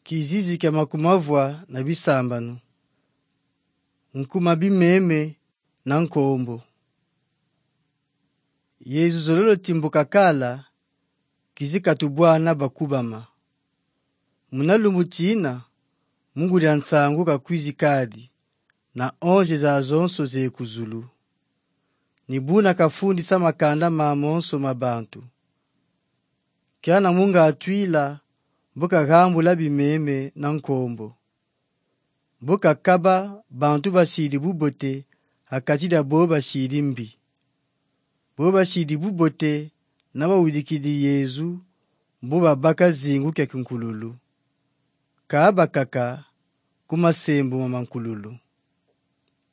kizizi kya makumavwa na bisambano, nkuma bimeme na nkombo. Yezu zololo timbuka kala kizikatubwana bakubama. Munalumutina Mungu lya nsangu kakwizi kadi na onje za zonso ze kuzulu. Nibuna kafundi sa makanda mamonso mabantu. Kiana munga atwila mboka gambula bimeme na nkombo. Mboka kaba bantu bashidi bubote akatida boba shidi mbi. Boba shidi bubote na bawudikidi Yezu mboba baka zingu kya kinkululu. Kaaba kaka kumasembu mamankululu.